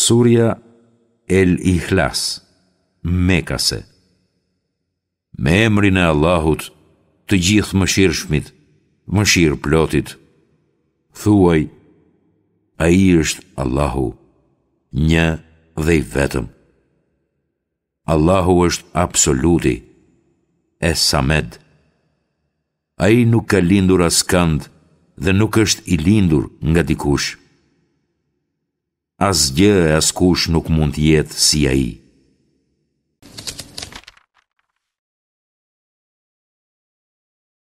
Surja El Ihlas, Mekase. Me emrin e Allahut, të Gjithëmëshirshmit, Mëshirëplotit. Thuaj, Ai është Allahu, një dhe i vetëm. Allahu është Absoluti, Es-Samed. Ai nuk ka lindur askënd dhe nuk është i lindur nga dikush. Asgjë e askush nuk mund të jetë si Ai.